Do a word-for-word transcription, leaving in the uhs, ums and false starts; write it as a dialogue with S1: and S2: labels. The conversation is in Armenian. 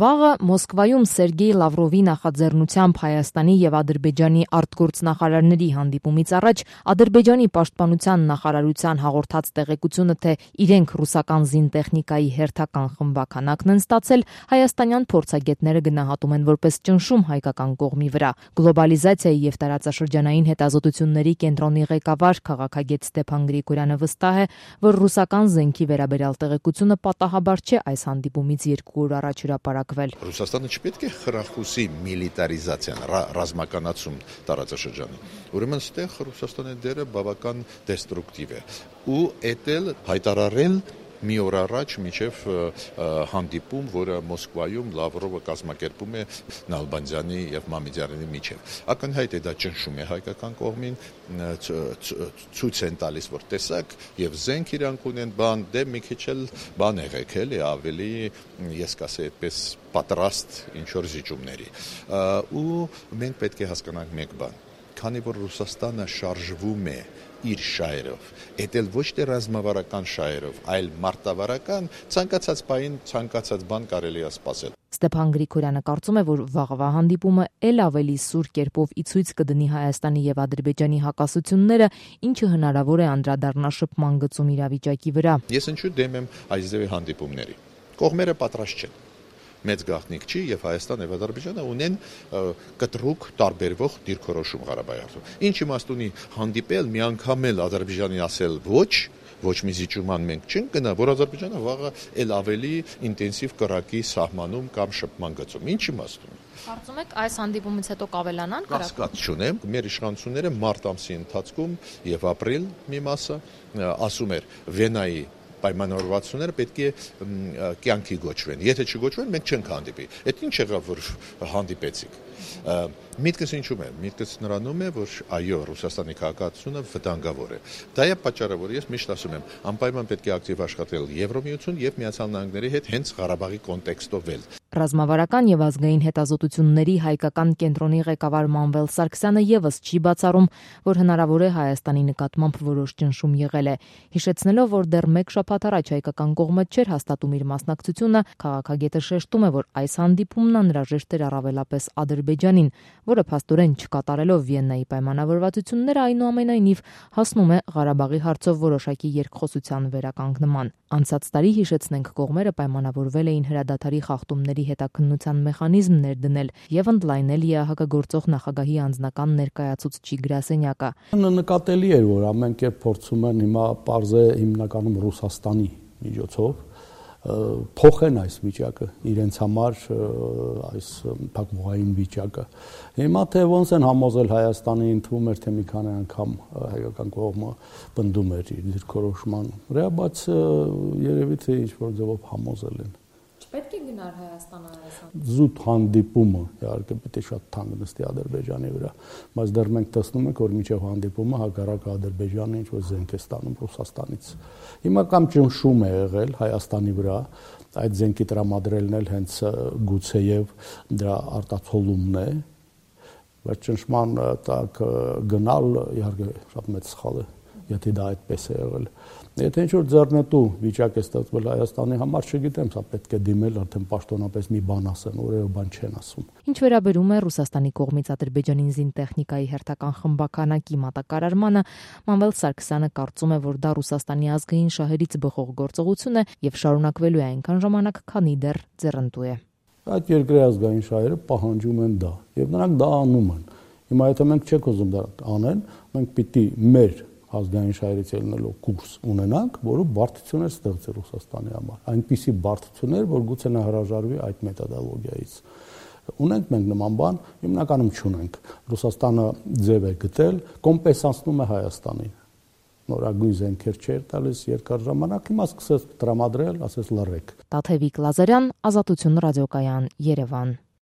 S1: Վաղը Մոսկվայում Սերգեյ Լավրովի նախաձեռնությամբ Հայաստանի եւ Ադրբեջանի արտգործնախարարների հանդիպումից առաջ Ադրբեջանի պաշտպանության նախարարության հաղորդած տեղեկությունը, թե իրենք ռուսական զինտեխնիկայի հերթական խմբաքանակն են ստացել, հայաստանյան փորձագետները գնահատում են որպես ճնշում հայկական կողմի վրա։ Գլոբալիզացիայի եւ տարածաշրջանային հետազոտությունների կենտրոնի ղեկավար քաղաքագետ Ստեփան Գրիգորյանը վստահ է, որ ռուսական զենքի վերաբերյալ տեղեկությունը պատահաբար չէ այս հանդիպումից երկու օր առաջ հրապարակվել։
S2: Ռուսաստանը չպետք է խրախուսի միլիտարիզացիան, ռազմականացում տարածաշրջանի։ Ուրեմն ստեղ Ռուսաստանի դերը բավական դեստրուկտիվ է ու էտել հայտարարել մի օր առաջ մինչև հանդիպում, որը Մոսկվայում Լավրովը կազմակերպում է Նալբանդյանի եւ Մամեդյարյանի միջև։ Ակնհայտ է դա ճնշում է հայկական կողմին, ցույց են տալիս, որ տեսակ եւ զենք իրանք ունեն, բան դե մի քիչ էլ բան եղեք էլի ավելի, ես կասեի այդպես պատրաստ ինչ որ զիջումների։ Ու մենք պետք է հասկանանք մեկ բան, քանի որ Ռուսաստանը շարժվում է իր շահերով, էտել ոչ թե ռազմավարական շահերով, այլ մարտավարական, ցանկացած բան, ցանկացած բան կարելի է սպասել։
S1: Ստեփան Գրիգորյանը կարծում է, որ վաղվա հանդիպումը ել ավելի սուր կերպով ի ցույց կդնի Հայաստանի եւ Ադրբեջանի հակասությունները, ինչը հնարավոր է անդրադառնա շփման գծում իրավիճակի վրա։
S2: Ես ինչու դեմ եմ այս ձևի հանդիպումների։ Կողմերը պատրաստ չեն։ Մեծ գաղտնիք չի եւ Հայաստան եւ Ադրբեջանը ունեն կտրուկ տարբերվող դիրքորոշում Ղարաբաղի հարցում։ Ինչ իմաստ ունի հանդիպել մի անգամ էլ Ադրբեջանի ասել ոչ, ոչ մի զիջման մենք չենք գնա, որ Ադրբեջանը վաղը ել ավելի ինտենսիվ կրակի սահմանում կամ շփման գծում։ Ինչ իմաստ ունի։
S1: Կարծում եք այս հանդիպումից հետո կավելանան կրակը։
S2: Կասկած չունեմ, մեր իշխանությունները մարտ ամսի ընթացքում եւ ապրիլ մի մասը ասում էր Վենայի պայմանավորվածությունները պետք է կյանքի գոչվեն։ Եթե չգոչվեն, մենք չենք հանդիպի։ Այդ ինչ եղավ, որ հանդիպեցիք։ Միտքս ինչու՞մ է։ Միտքս նրանում է, որ այո, Ռուսաստանի քաղաքացիությունը վտանգավոր է։ Դա է պատճառը, որ ես միշտ ասում եմ, անպայման պետք է ակտիվ աշխատել Եվրամիություն եւ Միացյալ Նահանգների հետ հենց Ղարաբաղի կոնտեքստով էլ։
S1: Ռազմավարական եւ ազգային հետազոտությունների հայկական կենտրոնի ղեկավար Մանվել Սարգսյանը եւս չի բացառում, որ հնարավոր է Հայաստանի նկատմամբ որոշ ճնշում եղել է։ Հիշեցնելով, որ դեռ մեկ շաբաթ առաջ հայկական կողմը չէր հաստատում իր մասնակցությունը, քաղաքագետը շեշտում է, որ այս հանդիպումն անհրաժեշտ էր առավելապես Ադրբեջանին, որը փաստորեն չկատարելով Վիեննայի պայմանավորվածությունները, այնուամենայնիվ հասնում է Ղարաբաղի հարցով որոշակի երկխոսության վերականգնման։ Անցած տարի, հիշեցնենք, կողմերը պայմանավորվել էին հրադադարի խախտումների հետաքննության մեխանիզմ ներդնել եւ ընդլայնել ԵԱՀԿ գործող նախագահի անձնական ներկայացուցչի գրասենյակը։
S3: Նկատելի էր, որ ամեն կերպ փորձում են հիմա պարզե հիմնականում Ռուսաստանի միջոցով փոխեն այս վիճակը իրենց համար, այս փակուղային վիճակը։ Հիմա թե ոնց են համոզել Հայաստանի, ընդվում էր, թե մի քանի անգամ հայկական կողմը պնդում էր իր դիրքորոշման վրա, բայց երևի թե ինչ որ ձևով համոզել են։
S1: Պետք է գնար Հայաստանը այս
S3: զուտ հանդիպումը, իհարկե պետք է շատ թանկ նստի Ադրբեջանի վրա, բայց դեռ մենք տեսնում ենք, որ մինչև հանդիպումը հակառակը Ադրբեջանը ինչ որ զենք է ստանում Ռուսաստանից։ Հիմա կամ ճնշում է եղել Հայաստանի վրա, այդ զենքի տրամադրելն էլ հենց գուցեև դրա արտացոլումն է, բայց ճնշման տակ գնալ իհարկե շատ մեծ սխալ է, եթե դա այդպես է եղել։ Եթե ինչ-որ ձեռնտու վիճակ է ստեղծվել Հայաստանի համար, չգիտեմ, սա պետք է դիմել արդեն պաշտոնապես մի բան ասեն, որևէ բան չեն ասում։
S1: Ինչ վերաբերում է Ռուսաստանի կողմից Ադրբեջանին զինտեխնիկայի հերթական խմբականակի մատակարարմանը, Մանվել Սարգսյանը կարծում է, որ դա Ռուսաստանի ազգային շահերից բխող գործողություն է եւ շարունակվելու է այնքան ժամանակ, քանի դեռ ձեռնտու է։
S3: Այդ երկրի ազգային շահերը պահանջում են դա եւ նրանք դա անում են։ Հիմա եթե մենք չենք ուզում դա անեն, մենք պիտի մեր ազգային շահերից ելնելով կուրս ունենանք, որը բարդություն է ստեղծել Ռուսաստանի համար։ Այնպիսի բարդություններ, որ գուցե նա հրաժարվի այդ մեթոդոլոգիայից։ Ունենք մենք նման բան, հիմնականում չունենք։ Ռուսաստանը ձև է գտել, կոմպենսացնում է Հայաստանին։ Նորագույն զենքեր չէր տալիս երկար ժամանակ, հիմա սկսեց տրամադրել, ասես լռեք։
S1: Տաթևիկ Լազարյան, Ազատություն ռադիոկայան, Երևան։